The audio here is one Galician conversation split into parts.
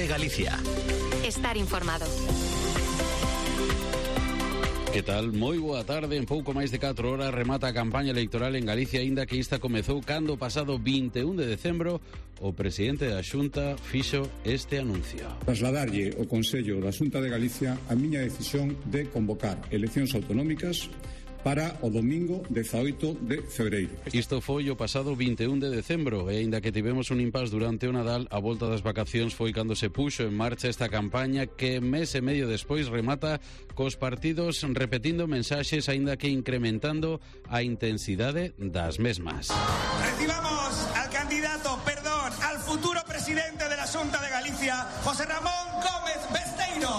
de Galicia. Estar informado. Que tal? Moi boa tarde. En pouco máis de 4 horas remata a campaña electoral en Galicia, aínda que esta comezou cando pasado 21 de decembro o presidente da Xunta fixo este anuncio. Trasladarlle ao Consello da Xunta de Galicia a miña decisión de convocar eleccións autonómicas para o domingo 18 de febreiro. Isto foi o pasado 21 de decembro e aínda que tivemos un impás durante o Nadal, a volta das vacacións foi cando se puxo en marcha esta campaña que mes e medio despois remata cos partidos repetindo mensaxes aínda que incrementando a intensidade das mesmas. Recibamos al candidato, al futuro presidente de la Xunta de Galicia, José Ramón Gómez Besteiro.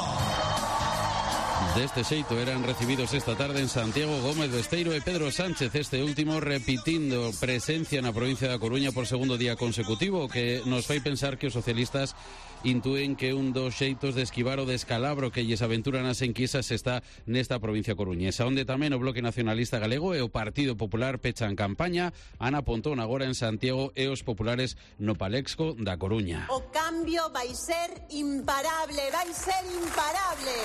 Deste xeito eran recibidos esta tarde en Santiago Gómez Besteiro e Pedro Sánchez, este último repitindo presencia na provincia da Coruña por segundo día consecutivo, que nos fai pensar que os socialistas intúen que un dos xeitos de esquivar o descalabro que lles aventuran as enquisas está nesta provincia coruñesa, onde tamén o Bloque Nacionalista Galego e o Partido Popular pechan campaña. Ana Pontón agora en Santiago e os populares no Palexco da Coruña. O cambio vai ser imparable, vai ser imparable.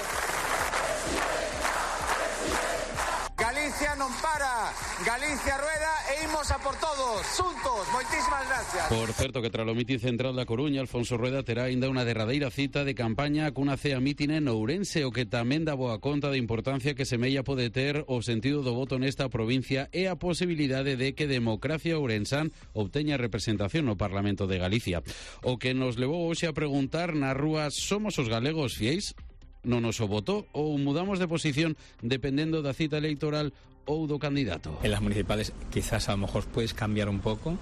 Galicia non para, Galicia rueda e imos a por todos, xuntos. Moitísimas gracias. Por certo que tras o mitin central da Coruña, Alfonso Rueda terá aínda unha derradeira cita de campaña cunha cea mitin en Ourense, o que tamén dá boa conta da importancia que Semella pode ter o sentido do voto nesta provincia e a posibilidade de que Democracia Ourensán obteña representación no Parlamento de Galicia. O que nos levou hoxe a preguntar nas rúas: somos os galegos fiéis no noso voto ou mudamos de posición dependendo da cita electoral ou do candidato? En las municipales quizás a lo mejor puedes cambiar un poco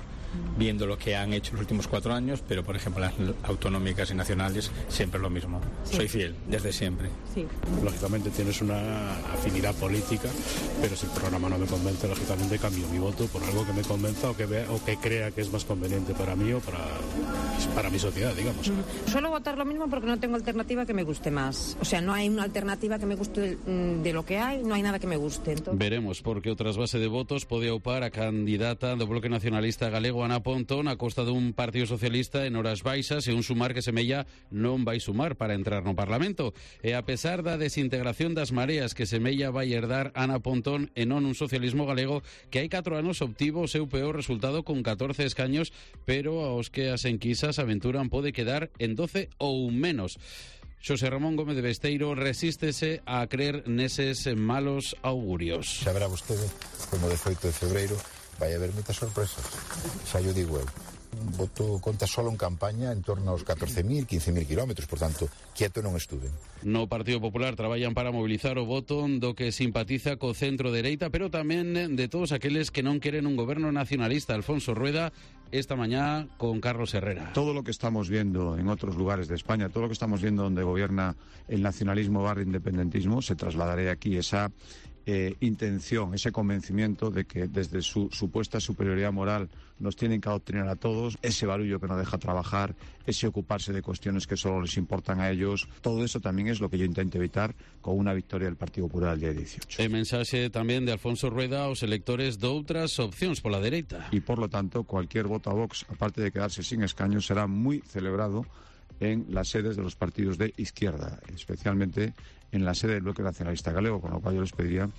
viendo lo que han hecho los últimos 4 años, pero por ejemplo las autonómicas y nacionales siempre es lo mismo. Sí. Soy fiel desde siempre. Sí. Lógicamente tienes una afinidad política, pero si el programa no me convence, lógicamente cambio mi voto por algo que me convenza o que vea, o que crea que es más conveniente para mí o para mi sociedad, digamos. Suelo votar lo mismo porque no tengo alternativa que me guste más. O sea, no hay una alternativa que me guste de lo que hay, no hay nada que me guste. Entonces... Veremos, porque o trasvase de votos pode opar a candidata do Bloque Nacionalista Galego Ana Pontón a costa dun Partido Socialista en horas baixas e un sumar que Semella non vai sumar para entrar no Parlamento. E a pesar da desintegración das mareas que Semella vai herdar Ana Pontón e non un socialismo galego que hai 4 anos obtivo o seu peor resultado con 14 escaños, pero aos que as enquisas aventuran pode quedar en 12 ou menos. Xosé Ramón Gómez de Besteiro resístese a creer neses malos augurios. Xa verá vostede como de 18 de febreiro vai haber moitas sorpresas, xa yo digo eu. Voto conta solo en campaña en torno aos 14.000, 15.000 kilómetros, por tanto, quieto non estuve. No Partido Popular traballan para mobilizar o voto do que simpatiza co centro dereita, pero tamén de todos aqueles que non queren un goberno nacionalista. Alfonso Rueda esta mañá con Carlos Herrera. Todo lo que estamos viendo en otros lugares de España, todo lo que estamos viendo donde gobierna el nacionalismo barra independentismo, se trasladará aquí esa intención, ese convencimiento de que desde su supuesta superioridad moral nos tienen que adoctrinar a todos, ese barullo que no deja trabajar, ese ocuparse de cuestiones que solo les importan a ellos, todo eso también es lo que yo intento evitar con una victoria del Partido Popular el día 18. E mensaxe tamén de Alfonso Rueda aos electores de outras opcións pola dereita. Y por lo tanto, cualquier voto a Vox, aparte de quedarse sin escaños, será muy celebrado en las sedes de los partidos de izquierda, especialmente en la sede del Bloque Nacionalista Galego, con lo cual yo les pediría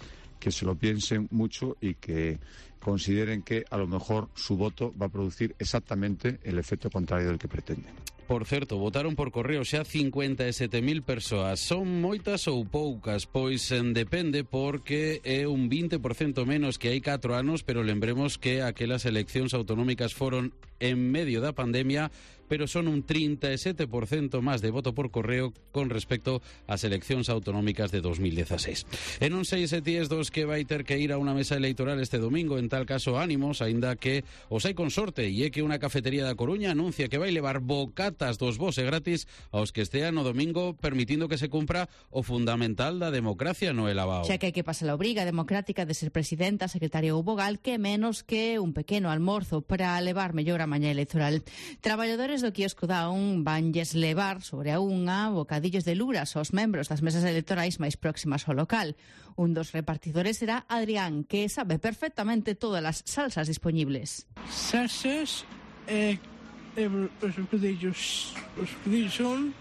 que se lo piensen mucho y que consideren que a lo mejor su voto va a producir exactamente el efecto contrario del que pretenden. Por certo, votaron por correo xa 57.000 persoas. Son moitas ou poucas? Pois depende, porque é un 20% menos que hai 4 anos, pero lembremos que aquelas eleccións autonómicas foron en medio da pandemia, pero son un 37% máis de voto por correo con respecto ás eleccións autonómicas de 2016. E non sei se ti es dos que vai ter que ir a unha mesa electoral este domingo, en tal caso ánimos, aínda que os hai con sorte, e é que unha cafetería da Coruña anuncia que vai levar bocatas dos vos e gratis aos que estean no domingo, permitindo que se cumpra o fundamental da democracia no elabao. Xa que hai que pasar a obriga democrática de ser presidenta, secretaria ou vogal, que menos que un pequeno almorzo para levar mellor a mañá electoral. Traballadores do quiosco da UN vanlles levar sobre a unha bocadillos de luras aos membros das mesas electorais máis próximas ao local. Un dos repartidores será Adrián, que sabe perfectamente todas as salsas disponibles. Salsas, os bocadillos son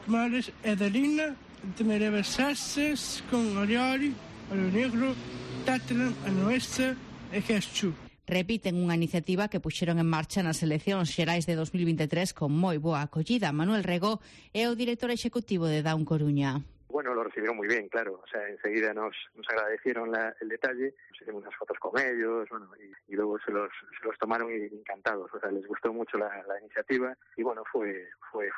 males e de lina, temereve sasses con orioli, olio negro, tatran, anoesta e quexu. Repiten unha iniciativa que puxeron en marcha nas eleccións xerais de 2023 con moi boa acollida. Manuel Rego é o director executivo de Down Coruña. Bueno, lo recibieron muy bien, claro. O sea, enseguida nos agradecieron el detalle, nos hicimos unas fotos con ellos, bueno, y luego se los tomaron encantados. O sea, les gustó mucho la iniciativa y bueno, fue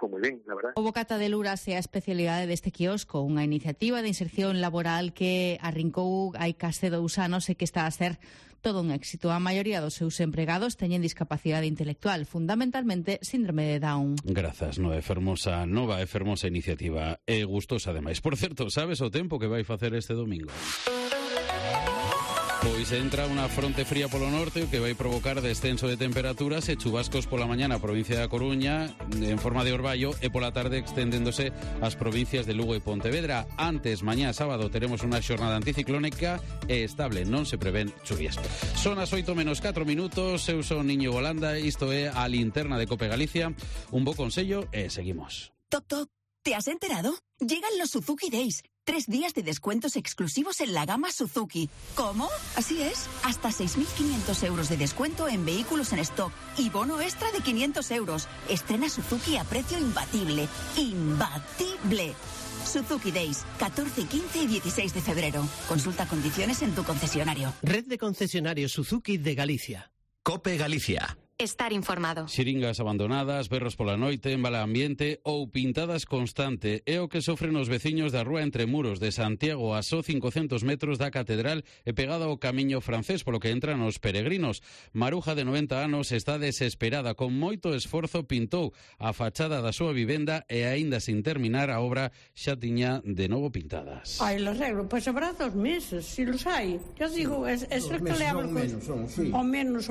muy bien, la verdad. O bocata de luras é a especialidade deste quiosco, unha iniciativa de inserción laboral que arrincou hai case 2 anos e que está a ser todo un éxito. A maioría dos seus empregados teñen discapacidade intelectual, fundamentalmente síndrome de Down. Grazas, nova e fermosa iniciativa. E gustosa ademais. Por certo, sabes o tempo que vai facer este domingo? Pois entra unha fronte fría polo norte que vai provocar descenso de temperaturas e chubascos pola mañá na provincia da Coruña en forma de orballo e pola tarde extendéndose ás provincias de Lugo e Pontevedra. Antes, mañá sábado, teremos unha xornada anticiclónica e estable, non se prevén chuvias. Son as 8:04, eu son Niño Golanda, isto é a linterna de Cope Galicia. Un bo consello e seguimos. Toc, toc, ¿te has enterado? Llegan los Suzuki Days. 3 días de descuentos exclusivos en la gama Suzuki. ¿Cómo? Así es. Hasta 6.500 euros de descuento en vehículos en stock y bono extra de 500 euros. Estrena Suzuki a precio imbatible. ¡Imbatible! Suzuki Days, 14, 15 y 16 de febrero. Consulta condiciones en tu concesionario. Red de concesionarios Suzuki de Galicia. Cope Galicia. Estar informado. Xiringas abandonadas, berros pola noite, en mal ambiente ou pintadas constante é o que sofren os veciños da rúa Entre Muros de Santiago a só 500 metros da catedral e pegada ao camiño francés polo que entran os peregrinos. Maruja, de 90 anos, está desesperada. Con moito esforzo pintou a fachada da súa vivenda e aínda sin terminar a obra xa tiña de novo pintadas. Ai, lo arreglo, pois habrá 2 meses, si los hai. Yo digo, es el que le hablo o menos,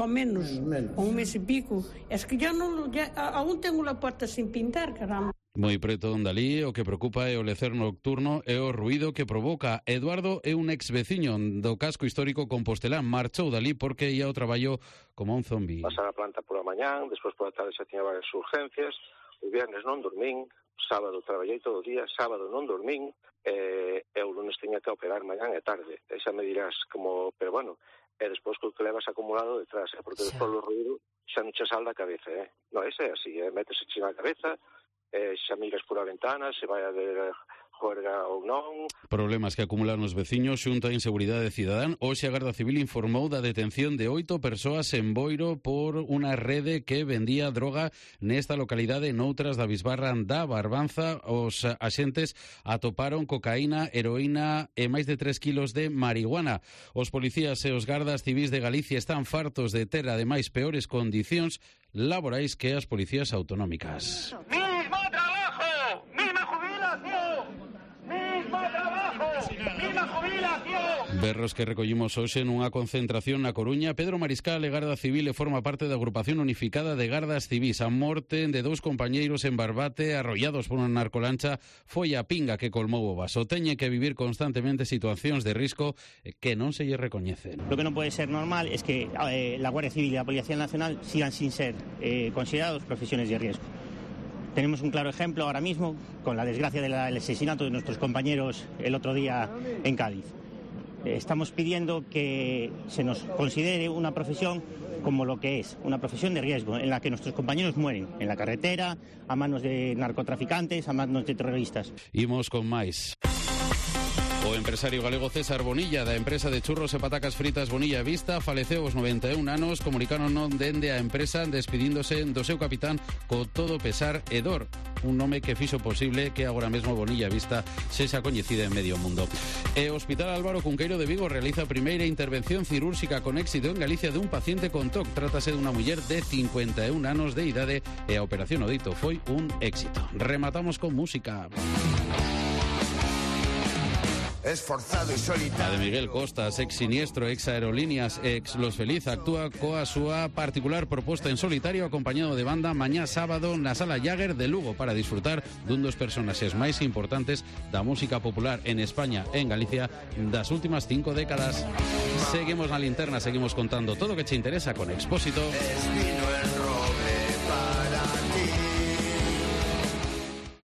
un mes y pico. Es que yo no, aún tengo la puerta sin pintar, caramba. Moi preto onde alí, o que preocupa é o lecer nocturno e o ruído que provoca. Eduardo é un ex veciño do casco histórico compostelán. Marchou dali porque ia ao traballo como un zombi. Pasar a planta pola mañán, despois pola tarde xa tiña varias urgencias. O viernes non dormín, sábado traballei todo o día, sábado non dormín, e o lunes tiña que operar mañán e tarde. E xa me dirás como, pero bueno, e despois que levas acumulado detrás, porque despois o ruído xa non che sal da cabeza, Non, ese é así, métese na cabeza, xa miras por a ventana, se vai a ver juerga ou non. Problemas que acumulan os veciños xunto a inseguridade cidadán. Hoxe a Garda Civil informou da detención de 8 persoas en Boiro por unha rede que vendía droga nesta localidade. Noutras da Bisbarra da Barbanza, os axentes atoparon cocaína, heroína e máis de 3 kilos de marihuana. Os policías e os gardas civis de Galicia están fartos de ter ademais peores condicións laborais que as policías autonómicas. ¡Mismo trabajo! ¡Misma jubilación! ¡Mismo trabajo! ¡Misma jubilación! Berros que recollimos hoxe nunha concentración na Coruña. Pedro Mariscal é garda civil e forma parte da agrupación unificada de gardas civis. A morte de 2 compañeiros en Barbate arrollados por unha narcolancha foi a pinga que colmou o vaso. Teñe que vivir constantemente situacións de risco que non se lle recoñecen. Lo que non pode ser normal es que la Guardia Civil e a Policía Nacional sigan sin ser considerados profesiones de riesgo. Tenemos un claro ejemplo ahora mismo con la desgracia del asesinato de nuestros compañeros el otro día en Cádiz. Estamos pidiendo que se nos considere una profesión como lo que es, una profesión de riesgo, en la que nuestros compañeros mueren en la carretera, a manos de narcotraficantes, a manos de terroristas. Imos con máis. O empresario galego César Bonilla, da empresa de churros e patacas fritas Bonilla Vista, faleceu aos 91 anos. Comunicaron non dende a empresa despedíndose do seu capitán co todo pesar e dor. Un nome que fixo posible que agora mesmo Bonilla Vista sexa coñecida en medio mundo. E o Hospital Álvaro Cunqueiro de Vigo realiza a primeira intervención cirúrxica con éxito en Galicia de un paciente con TOC. Trátase dunha muller de 51 anos de idade e a operación o dito foi un éxito. Rematamos con música. Esforzado e solitario. A de Miguel Costas, ex Siniestro, ex Aerolíneas, ex Los Feliz, actúa coa súa particular proposta en solitario acompañado de banda mañá sábado na Sala Jagger de Lugo para disfrutar dun dos personaxes máis importantes da música popular en España e en Galicia das últimas 5 décadas. Seguimos na linterna, seguimos contando todo o que che interesa con Expósito.